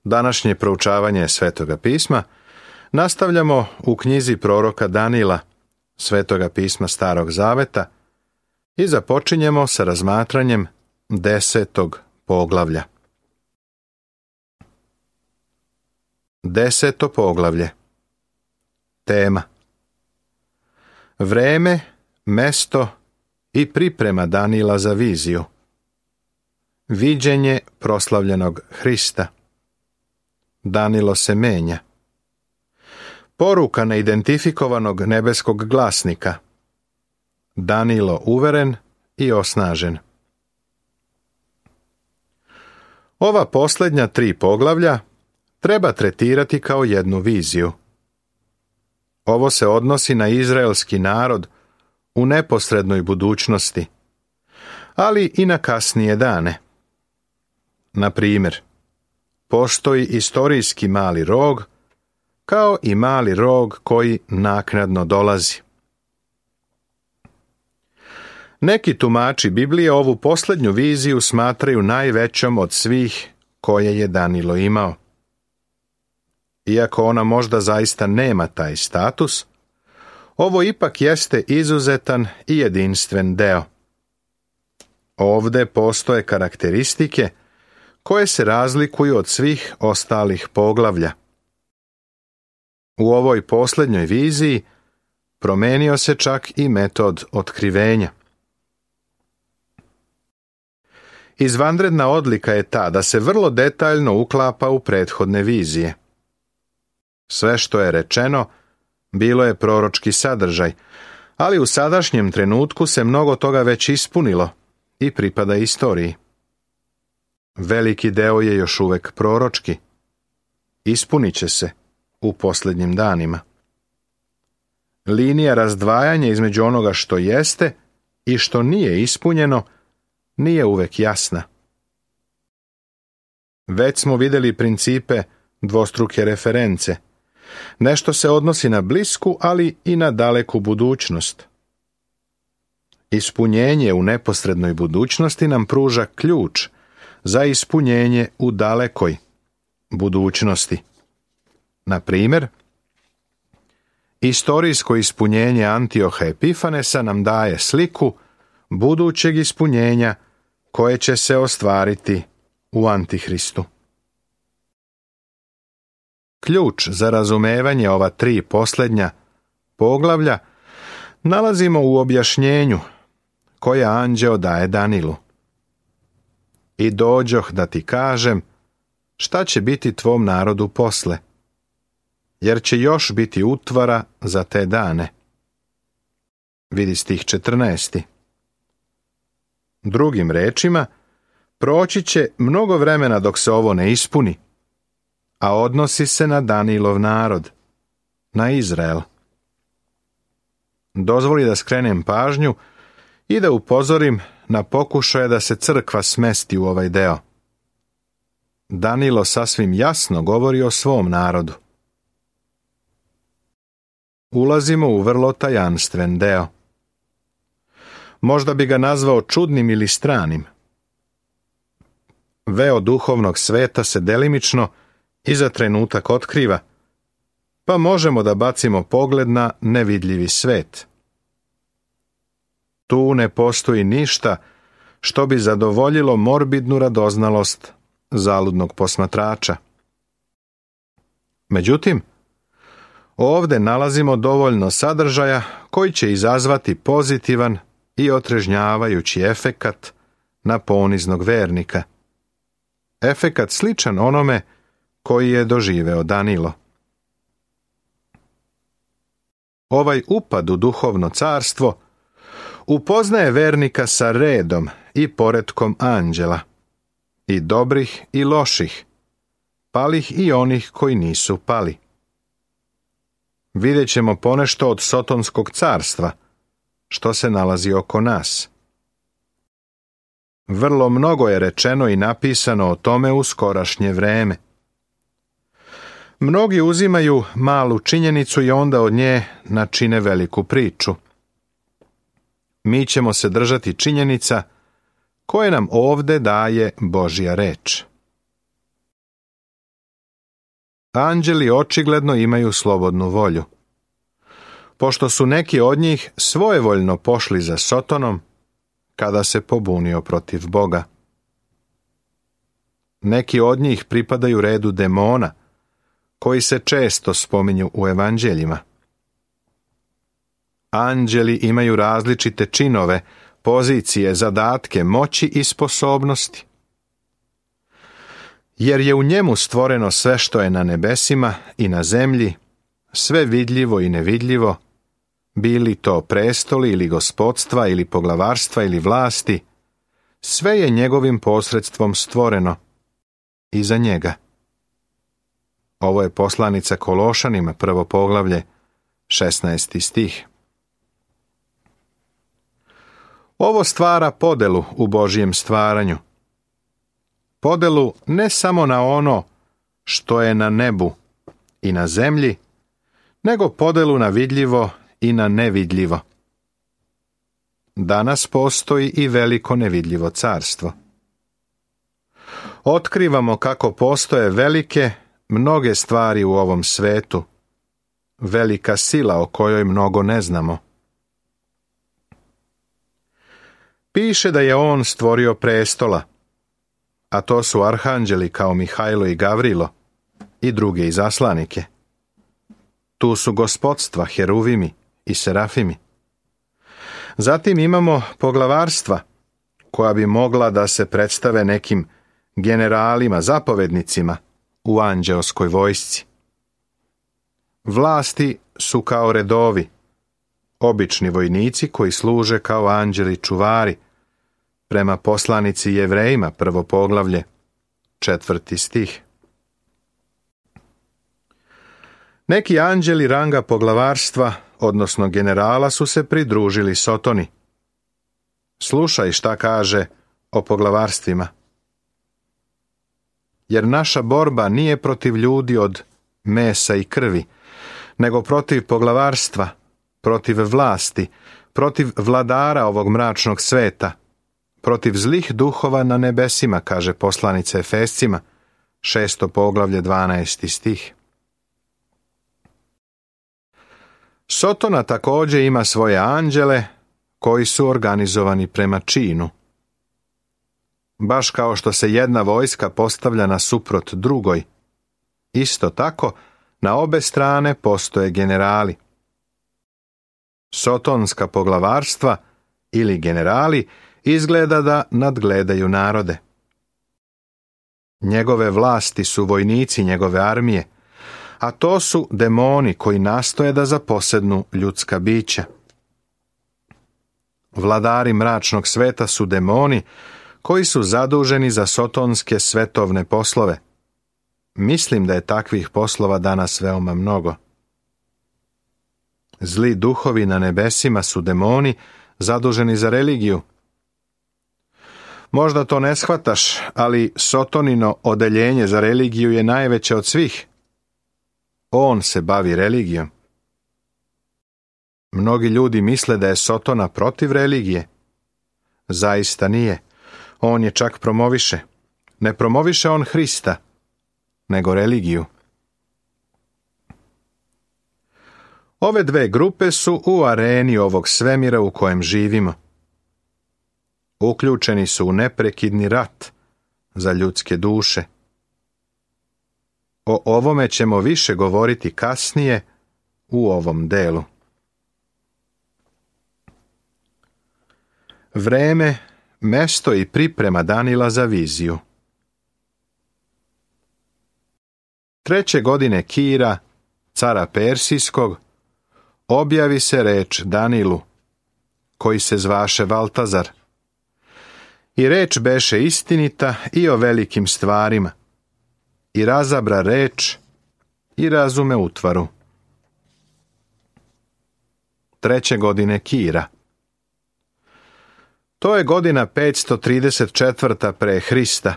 Današnje proučavanje Svetoga pisma nastavljamo u knjizi proroka Danila, Svetoga pisma Starog Zaveta, i započinjemo sa razmatranjem 10. poglavlja. 10. poglavlje. Tema: vreme, mesto i priprema Danila za viziju. Viđenje proslavljenog Hrista. Danilo se menja. Poruka neidentifikovanog nebeskog glasnika. Danilo uveren i osnažen. Ova posljednja 3 poglavlja treba tretirati kao jednu viziju. Ovo se odnosi na izraelski narod u neposrednoj budućnosti, ali i na kasnije dane. Na primjer, postoji istorijski mali rog, kao i mali rog koji naknadno dolazi. Neki tumači Biblije ovu posljednju viziju smatraju najvećom od svih koje je Danilo imao. Iako ona možda zaista nema taj status, ovo ipak jeste izuzetan i jedinstven deo. Ovdje postoje karakteristike koje se razlikuju od svih ostalih poglavlja. U ovoj posljednjoj viziji promenio se čak i metod otkrivenja. Izvanredna odlika je ta da se vrlo detaljno uklapa u prethodne vizije. Sve što je rečeno bilo je proročki sadržaj, ali u sadašnjem trenutku se mnogo toga već ispunilo i pripada istoriji. Veliki deo je još uvek proročki. Ispunit će se u posljednjim danima. Linija razdvajanja između onoga što jeste i što nije ispunjeno nije uvek jasna. Već smo vidjeli principe dvostruke reference. Nešto se odnosi na blisku, ali i na daleku budućnost. Ispunjenje u neposrednoj budućnosti nam pruža ključ za ispunjenje u dalekoj budućnosti. Na primjer, istorijsko ispunjenje Antioha Epifanesa nam daje sliku budućeg ispunjenja koje će se ostvariti u Antihristu. Ključ za razumevanje ova 3 posljednja poglavlja nalazimo u objašnjenju koje anđeo daje Danilu. I dođoh da ti kažem šta će biti tvom narodu posle, jer će još biti utvara za te dane. Vidi stih 14. Drugim rečima, proći će mnogo vremena dok se ovo ne ispuni, a odnosi se na Danilov narod, na Izrael. Dozvoli da skrenem pažnju i da upozorim na pokušaje da se crkva smesti u ovaj deo. Danilo sasvim jasno govori o svom narodu. Ulazimo u vrlo tajanstven deo. Možda bi ga nazvao čudnim ili stranim. Veo duhovnog sveta se delimično i za trenutak otkriva, pa možemo da bacimo pogled na nevidljivi svet. Tu ne postoji ništa što bi zadovoljilo morbidnu radoznalost zaludnog posmatrača. Međutim, ovdje nalazimo dovoljno sadržaja koji će izazvati pozitivan i otrežnjavajući efekat na poniznog vernika. Efekat sličan onome koji je doživeo Danilo. Ovaj upad u duhovno carstvo upoznaje vernika sa redom i poretkom anđela, i dobrih i loših, palih i onih koji nisu pali. Vidjet ćemo ponešto od Sotonskog carstva, što se nalazi oko nas. Vrlo mnogo je rečeno i napisano o tome u skorašnje vreme. Mnogi uzimaju malu činjenicu i onda od nje načine veliku priču. Mi ćemo se držati činjenica koje nam ovdje daje Božja reč. anđeli očigledno imaju slobodnu volju. Pošto su neki od njih svojevoljno pošli za Sotonom kada se pobunio protiv Boga. Neki od njih pripadaju redu demona, koji se često spominju u evanđeljima. Anđeli imaju različite činove, pozicije, zadatke, moći i sposobnosti. Jer je u njemu stvoreno sve što je na nebesima i na zemlji, sve vidljivo i nevidljivo, bili to prestoli ili gospodstva ili poglavarstva ili vlasti, sve je njegovim posredstvom stvoreno i za njega. Ovo je poslanica Kološanima, 1. poglavlje, 16. stih. Ovo stvara podelu u Božjem stvaranju. Podelu ne samo na ono što je na nebu i na zemlji, nego podelu na vidljivo i na nevidljivo. Danas postoji i veliko nevidljivo carstvo. Otkrivamo kako postoje velike, mnoge stvari u ovom svetu, velika sila o kojoj mnogo ne znamo. Piše da je on stvorio prestola, a to su arhanđeli kao Mihajlo i Gavrilo i druge izaslanike. Tu su gospodstva, heruvimi i serafimi. Zatim imamo poglavarstva, koja bi mogla da se predstave nekim generalima, zapovednicima u anđeoskoj vojsci. Vlasti su kao redovi, obični vojnici koji služe kao anđeli čuvari, prema poslanici Jevrejima, 1. poglavlje, 4. stih. Neki anđeli ranga poglavarstva, odnosno generala, su se pridružili Sotoni. Slušaj šta kaže o poglavarstvima. Jer naša borba nije protiv ljudi od mesa i krvi, nego protiv poglavarstva, protiv vlasti, protiv vladara ovog mračnog sveta, protiv zlih duhova na nebesima, kaže poslanica Efescima, 6. poglavlje, 12. stih. Sotona također ima svoje anđele koji su organizovani prema činu. Baš kao što se jedna vojska postavlja nasuprot drugoj, isto tako na obe strane postoje generali. Sotonska poglavarstva ili generali izgleda da nadgledaju narode. Njegove vlasti su vojnici njegove armije, a to su demoni koji nastoje da zaposednu ljudska bića. Vladari mračnog sveta su demoni koji su zaduženi za sotonske svetovne poslove. Mislim da je takvih poslova danas veoma mnogo. Zli duhovi na nebesima su demoni zaduženi za religiju. Možda to ne shvataš, ali Sotonino odeljenje za religiju je najveće od svih. On se bavi religijom. Mnogi ljudi misle da je Sotona protiv religije. Zaista nije. On je čak promoviše. Ne promoviše on Hrista, nego religiju. Ove dve grupe su u areni ovog svemira u kojem živimo. Uključeni su u neprekidni rat za ljudske duše. O ovome ćemo više govoriti kasnije u ovom delu. Vreme, mesto i priprema Danila za viziju. 3. godine Kira, cara Persijskog, objavi se reč Danilu, koji se zvaše Valtazar. I reč beše istinita i o velikim stvarima. I razabra reč i razume utvaru. 3. godine Kira. To je godina 534. pre Hrista.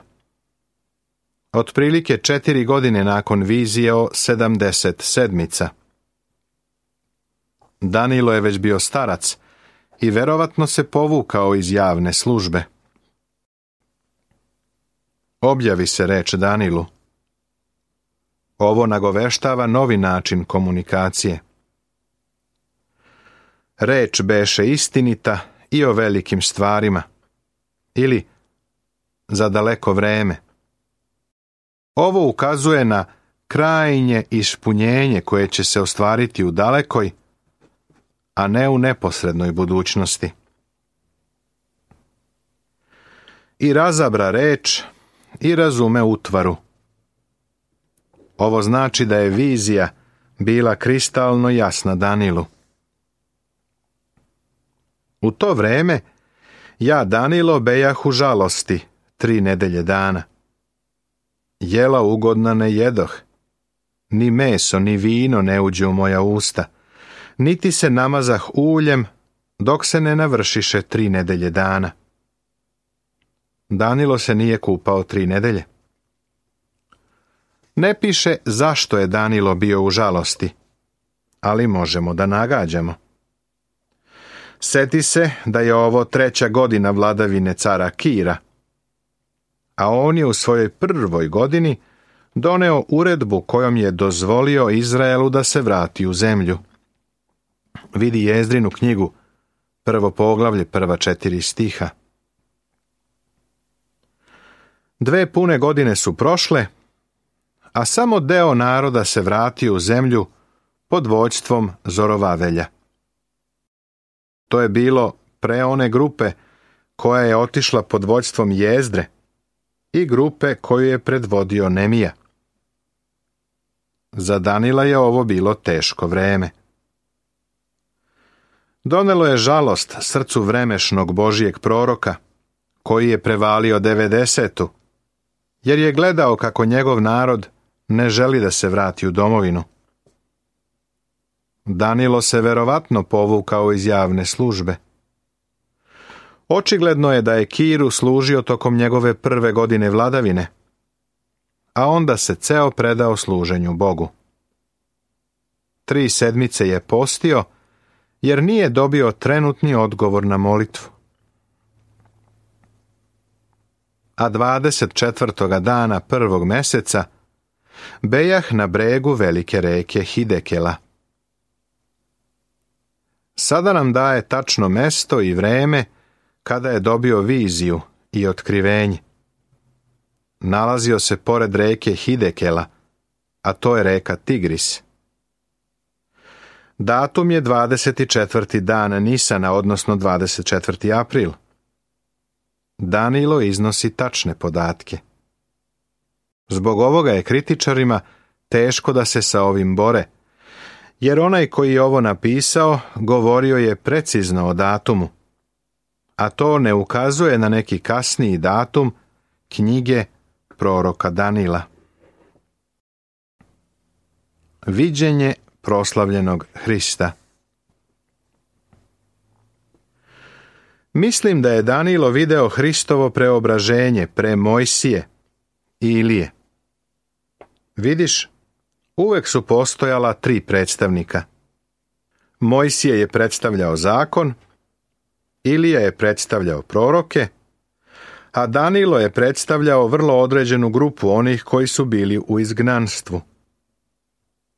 Otprilike 4 godine nakon vizije o 70 sedmica. Danilo je već bio starac i verovatno se povukao iz javne službe. Objavi se reč Danilu. Ovo nagoveštava novi način komunikacije. Reč beše istinita i o velikim stvarima, ili za daleko vreme. Ovo ukazuje na krajnje ispunjenje koje će se ostvariti u dalekoj, a ne u neposrednoj budućnosti. I razabra reč i razume utvaru. Ovo znači da je vizija bila kristalno jasna Danilu. U to vreme ja, Danilo, bejah u žalosti 3 nedelje dana. Jela ugodna ne jedoh, ni meso ni vino ne uđe u moja usta, niti se namazah uljem dok se ne navršiše 3 nedelje dana. Danilo se nije kupao 3 nedelje. Ne piše zašto je Danilo bio u žalosti, ali možemo da nagađamo. Seti se da je ovo 3. godina vladavine cara Kira, a on je u svojoj 1. godini doneo uredbu kojom je dozvolio Izraelu da se vrati u zemlju. Vidi Jezdrinu knjigu, 1. poglavlje, prva 4 stiha. 2 pune godine su prošle, a samo deo naroda se vratio u zemlju pod vođstvom Zorovavelja. To je bilo pre one grupe koja je otišla pod vođstvom Jezdre i grupe koju je predvodio Nemija. Za Danila je ovo bilo teško vreme. Donelo je žalost srcu vremešnog Božijeg proroka, koji je prevalio 90, jer je gledao kako njegov narod ne želi da se vrati u domovinu. Danilo se verovatno povukao iz javne službe. Očigledno je da je Kiru služio tokom njegove 1. godine vladavine, a onda se ceo predao služenju Bogu. 3 sedmice je postio, jer nije dobio trenutni odgovor na molitvu. A 24. dana 1. meseca bejah na bregu velike reke Hidekela. Sada nam daje tačno mesto i vreme kada je dobio viziju i otkrivenje. Nalazio se pored reke Hidekela, a to je reka Tigris. Datum je 24. dan Nisana, odnosno 24. april. Danilo iznosi tačne podatke. Zbog ovoga je kritičarima teško da se sa ovim bore, jer onaj koji je ovo napisao govorio je precizno o datumu, a to ne ukazuje na neki kasniji datum knjige proroka Danila. Viđenje proslavljenog Hrista. Mislim da je Danilo video Hristovo preobraženje pre Mojsije i Ilije. Vidiš, uvek su postojala 3 predstavnika. Mojsije je predstavljao zakon, Ilija je predstavljao proroke, a Danilo je predstavljao vrlo određenu grupu onih koji su bili u izgnanstvu.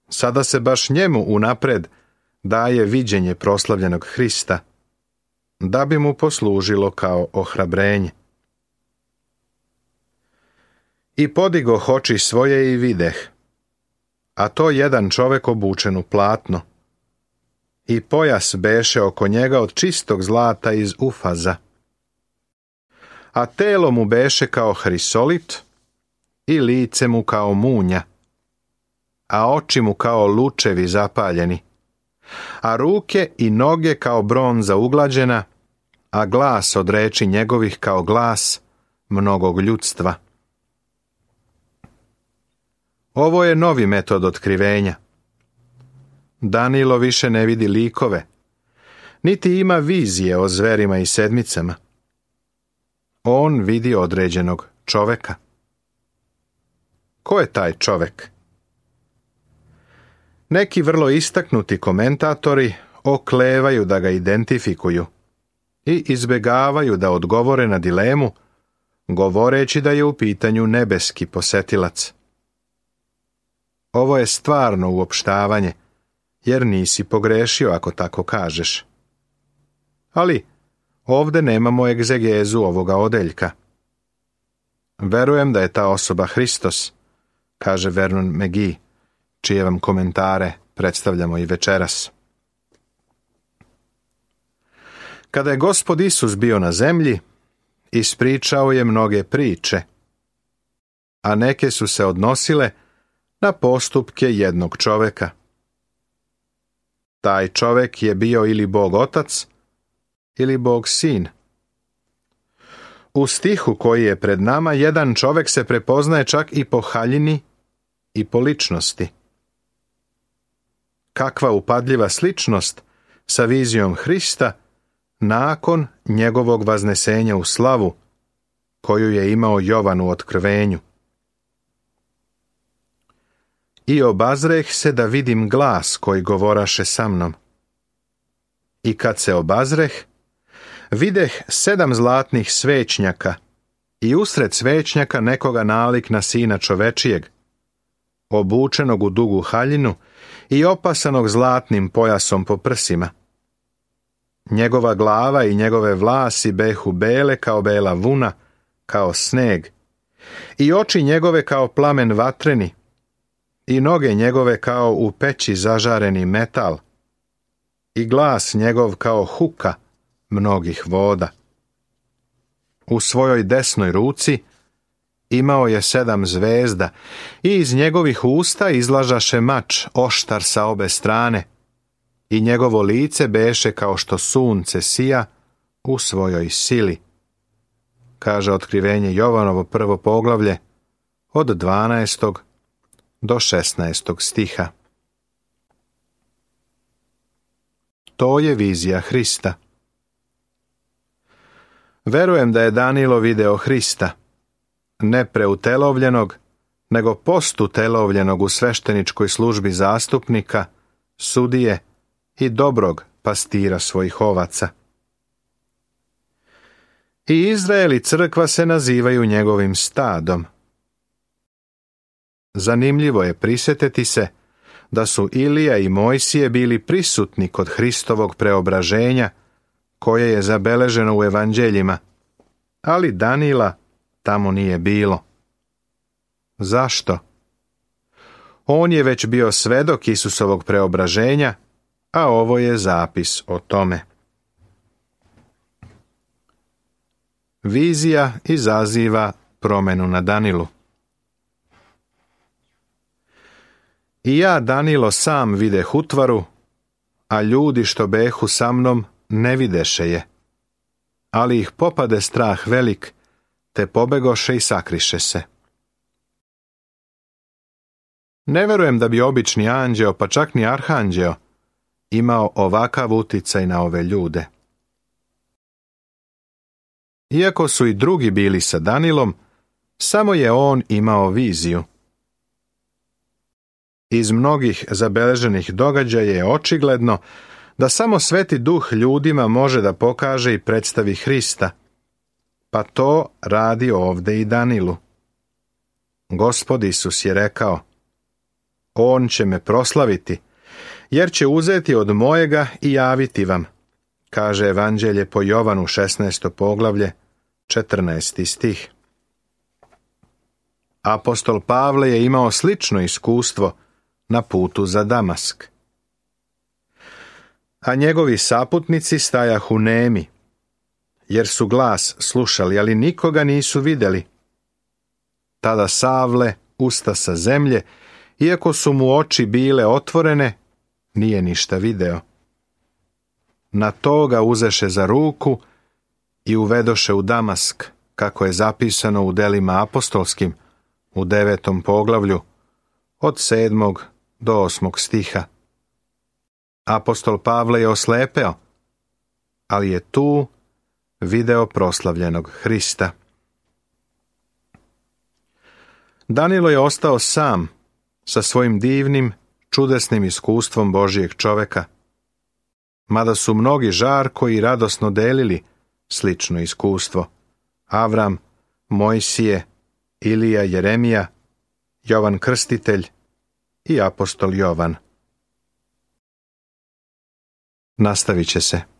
Sada se baš njemu unapred daje viđenje proslavljenog Hrista, da bi mu poslužilo kao ohrabrenje. I podigoh oči svoje i videh, a to jedan čovek obučen u platno, i pojas beše oko njega od čistog zlata iz Ufaza, a telo mu beše kao hrisolit i lice mu kao munja, a oči mu kao lučevi zapaljeni, a ruke i noge kao bronza uglađena, a glas od reči njegovih kao glas mnogog ljudstva. Ovo je novi metod otkrivenja. Danilo više ne vidi likove, niti ima vizije o zverima i sedmicama. On vidi određenog čoveka. Ko je taj čovek? Neki vrlo istaknuti komentatori oklevaju da ga identifikuju i izbegavaju da odgovore na dilemu, govoreći da je u pitanju nebeski posetilac. Ovo je stvarno uopštavanje, jer nisi pogrešio ako tako kažeš. Ali ovde nemamo egzegezu ovoga odeljka. Verujem da je ta osoba Hristos, kaže Vernon McGee, čije vam komentare predstavljamo i večeras. Kada je Gospod Isus bio na zemlji, ispričao je mnoge priče, a neke su se odnosile na postupke jednog čoveka. Taj čovek je bio ili Bog Otac, ili Bog Sin. U stihu koji je pred nama, jedan čovek se prepoznaje čak i po haljini i po ličnosti. Kakva upadljiva sličnost sa vizijom Hrista nakon njegovog vaznesenja u slavu, koju je imao Jovan u Otkrivenju. I obazreh se da vidim glas koji govoraše sa mnom. I kad se obazreh, videh 7 zlatnih svećnjaka i usred svećnjaka nekoga nalik na Sina čovečijeg, obučenog u dugu haljinu i opasanog zlatnim pojasom po prsima. Njegova glava i njegove vlasi behu bele kao bela vuna, kao sneg, i oči njegove kao plamen vatreni, i noge njegove kao u peći zažareni metal, i glas njegov kao huka mnogih voda. U svojoj desnoj ruci imao je 7 zvezda i iz njegovih usta izlažaše mač oštar sa obe strane i njegovo lice beše kao što sunce sija u svojoj sili. Kaže Otkrivenje Jovanovo 1. poglavlje od 12. do 16. stiha. To je vizija Hrista. Verujem da je Danilo video Hrista, ne preutelovljenog, nego postutelovljenog u svešteničkoj službi zastupnika, sudije i dobrog pastira svojih ovaca. I Izrael i crkva se nazivaju njegovim stadom. Zanimljivo je prisjetiti se da su Ilija i Mojsije bili prisutni kod Hristovog preobraženja, koje je zabeleženo u evanđeljima, ali Danila tamo nije bilo. Zašto? On je već bio svedok Isusovog preobraženja, a ovo je zapis o tome. Vizija izaziva promenu na Danilu. I ja, Danilo, sam videh utvaru, a ljudi što behu sa mnom ne videše je. Ali ih popade strah velik, te pobegoše i sakriše se. Ne verujem da bi obični anđeo, pa čak ni arhanđeo, imao ovakav uticaj na ove ljude. Iako su i drugi bili sa Danilom, samo je on imao viziju. Iz mnogih zabeleženih događaja je očigledno da samo Sveti Duh ljudima može da pokaže i predstavi Hrista, pa to radi ovde i Danilu. Gospod Isus je rekao: On će me proslaviti, jer će uzeti od mojega i javiti vam, kaže Evanđelje po Jovanu 16. poglavlje, 14. stih. Apostol Pavle je imao slično iskustvo na putu za Damask. A njegovi saputnici stajahu nemi, jer su glas slušali, ali nikoga nisu vidjeli. Tada Savle usta sa zemlje, iako su mu oči bile otvorene, nije ništa video. Na to ga uzeše za ruku i uvedoše u Damask, kako je zapisano u delima apostolskim, u 9. poglavlju, od 7. do 8. stiha. Apostol Pavle je oslepeo, ali je tu video proslavljenog Hrista. Danilo je ostao sam sa svojim divnim, čudesnim iskustvom Božijeg čoveka, mada su mnogi žarko i radosno delili slično iskustvo. Avram, Mojsije, Ilija, Jeremija, Jovan Krstitelj i apostol Jovan. Nastavit će se.